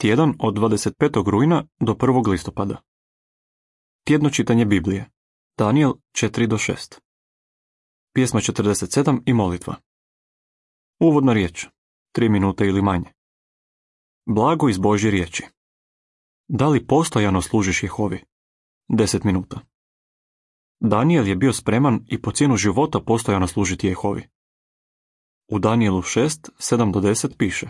Tjedan od 25. rujna do 1. listopada. Tjedno čitanje Biblije. Danijel 4-6. Pjesma 47 i molitva. Uvodna riječ. 3 minute ili manje. Blago iz Božje riječi. Da li postojano služiš Jehovi? 10 minuta. Danijel je bio spreman i po cijenu života postojano služiti Jehovi. U Danijelu 6, 7-10 piše: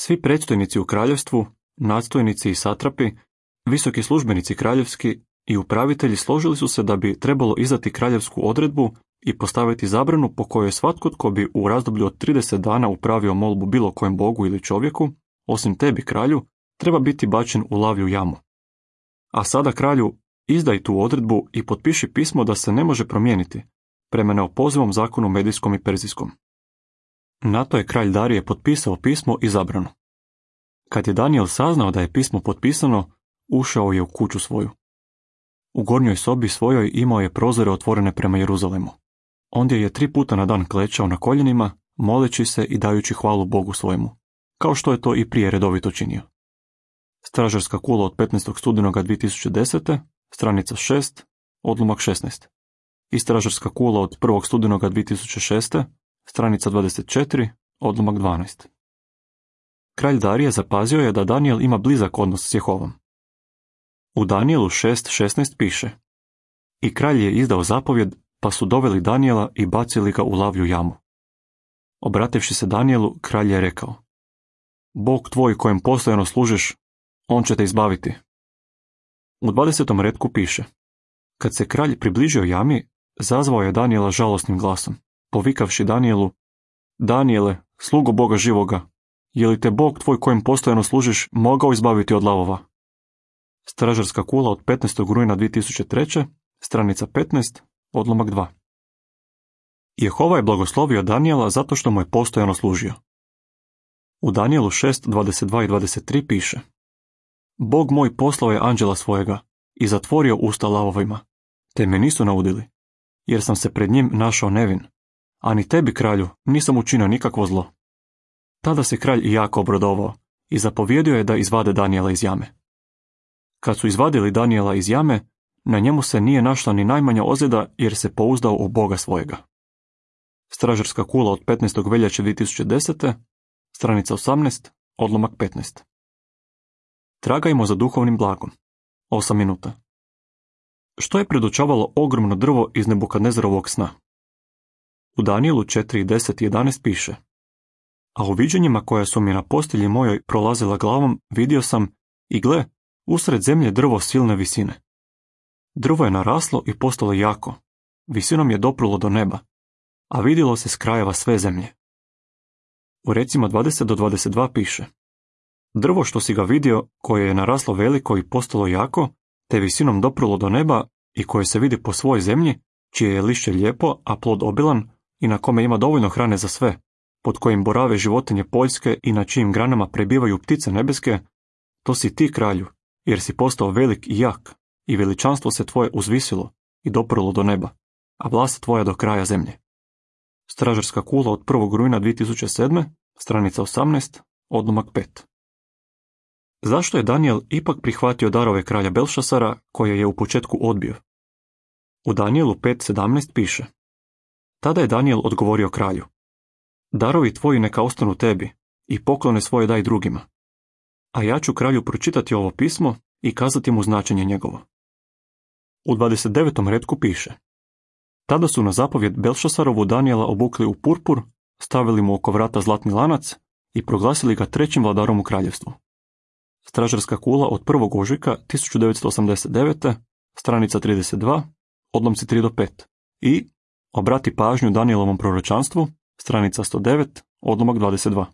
Svi predstojnici u kraljevstvu, nadstojnici i satrapi, visoki službenici kraljevski i upravitelji složili su se da bi trebalo izdati kraljevsku odredbu i postaviti zabranu po kojoj svatko tko bi u razdoblju od 30 dana upravio molbu bilo kojem bogu ili čovjeku, osim tebi kralju, treba biti bačen u lavlju jamu. A sada kralju, izdaj tu odredbu i potpiši pismo da se ne može promijeniti, prema neopozivom zakonu medijskom i perzijskom. Na to je kralj Darije potpisao pismo i zabranu. Kad je Danijel saznao da je pismo potpisano, ušao je u kuću svoju. U gornjoj sobi svojoj imao je prozore otvorene prema Jeruzalemu. Ondje je 3 puta na dan klečao na koljenima, moleći se i dajući hvalu Bogu svojemu, kao što je to i prije redovito činio. Stražarska kula od 15. studenoga 2010. stranica 6, odlomak 16. I stražarska kula od 1. studenoga 2006. stranica 24, odlomak 12. Kralj Darije zapazio je da Danijel ima blizak odnos s Jehovom. U Danijelu 6.16 piše: I kralj je izdao zapovjed, pa su doveli Danijela i bacili ga u lavlju jamu. Obrativši se Danijelu, kralj je rekao: Bog tvoj kojem postojano služiš, on će te izbaviti. U 20. retku piše: Kad se kralj približio jami, zazvao je Danijela žalosnim glasom, povikavši Danijelu: Danijele, slugo Boga živoga, je li te Bog tvoj kojem postojano služiš mogao izbaviti od lavova? Stražarska kula od 15. rujna 2003. stranica 15, odlomak 2. Jehova je blagoslovio Danijela zato što mu je postojano služio. U Danijelu 6.22 i 23 piše: Bog moj poslao je anđela svojega i zatvorio usta lavovima, te me nisu naudili, jer sam se pred njim našao nevin, a ni tebi, kralju, nisam učinio nikakvo zlo. Tada se kralj jako obradovao i zapovjedio je da izvade Danijela iz jame. Kad su izvadili Danijela iz jame, na njemu se nije našla ni najmanja ozljeda jer se pouzdao u Boga svojega. Stražarska kula od 15. veljače 2010. stranica 18, odlomak 15. Tragajmo za duhovnim blagom. 8 minuta. Što je predočavalo ogromno drvo iz Nebukadnezarovog sna? U Danijelu 4.10 i 11 piše: A u viđenjima koja su mi na postelji mojoj prolazila glavom, vidio sam, i gle, usred zemlje drvo silne visine. Drvo je naraslo i postalo jako, visinom je doprulo do neba, a vidjelo se s krajeva sve zemlje. U recima 20-22 piše: Drvo što si ga vidio, koje je naraslo veliko i postalo jako, te visinom doprulo do neba i koje se vidi po svoj zemlji, čije je lišće lijepo, a plod obilan i na kome ima dovoljno hrane za sve, pod kojim borave životinje poljske i na čijim granama prebivaju ptice nebeske, to si ti, kralju, jer si postao velik i jak, i veličanstvo se tvoje uzvisilo i doprulo do neba, a vlast tvoja do kraja zemlje. Stražarska kula od 1. rujna 2007. stranica 18, odlomak 5. Zašto je Danijel ipak prihvatio darove kralja Belšasara, koje je u početku odbio? U Danijelu 5.17 piše: Tada je Danijel odgovorio kralju: Darovi tvoji neka ostanu tebi i poklone svoje daj drugima. A ja ću kralju pročitati ovo pismo i kazati mu značenje njegovo. U 29. retku piše: Tada su na zapovjed Belšasarovu Danijela obukli u purpur, stavili mu oko vrata zlatni lanac i proglasili ga 3. vladarom u kraljevstvu. Stražarska kula od 1. ožujka 1989. stranica 32, odlomci 3-5 i obrati pažnju Danielovom proročanstvu, stranica 109, odlomak 22.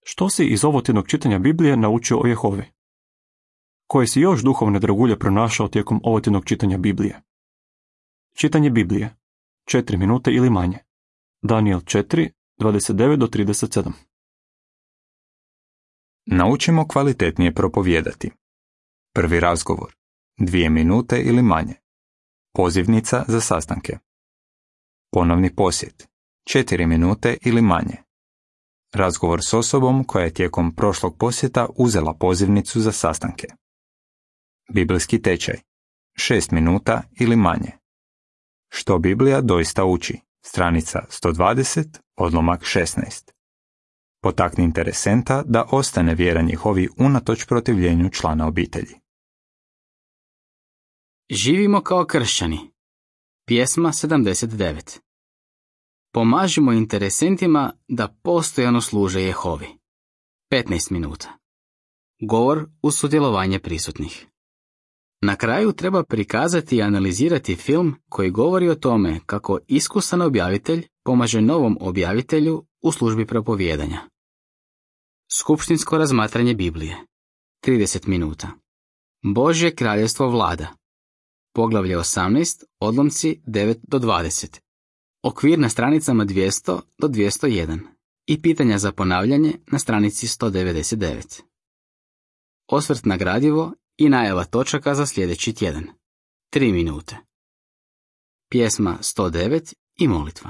Što si iz ovotjednog čitanja Biblije naučio o Jehovi? Koje si još duhovne dragulje pronašao tijekom ovotjednog čitanja Biblije? Čitanje Biblije. 4 minute ili manje. Danijel 4, 29-37. Naučimo kvalitetnije propovijedati. Prvi razgovor. 2 minute ili manje. Pozivnica za sastanke. Ponovni posjet. 4 minute ili manje. Razgovor s osobom koja je tijekom prošlog posjeta uzela pozivnicu za sastanke. Biblijski tečaj. 6 minuta ili manje. Što Biblija doista uči? Stranica 120, odlomak 16. Potakni interesenta da ostane vjeran Jehovi unatoč protivljenju člana obitelji. Živimo kao kršćani. Pjesma 79. Pomažimo interesentima da postojano služe Jehovi. 15 minuta. Govor uz sudjelovanje prisutnih. Na kraju treba prikazati i analizirati film koji govori o tome kako iskusan objavitelj pomaže novom objavitelju u službi propovijedanja. Skupštinsko razmatranje Biblije. 30 minuta. Božje kraljevstvo vlada. Poglavlje 18, odlomci 9 do 20. Okvir na stranicama 200 do 201 i pitanja za ponavljanje na stranici 199. Osvrt na gradivo i najava točaka za sljedeći tjedan. 3 minute. Pjesma 109 i molitva.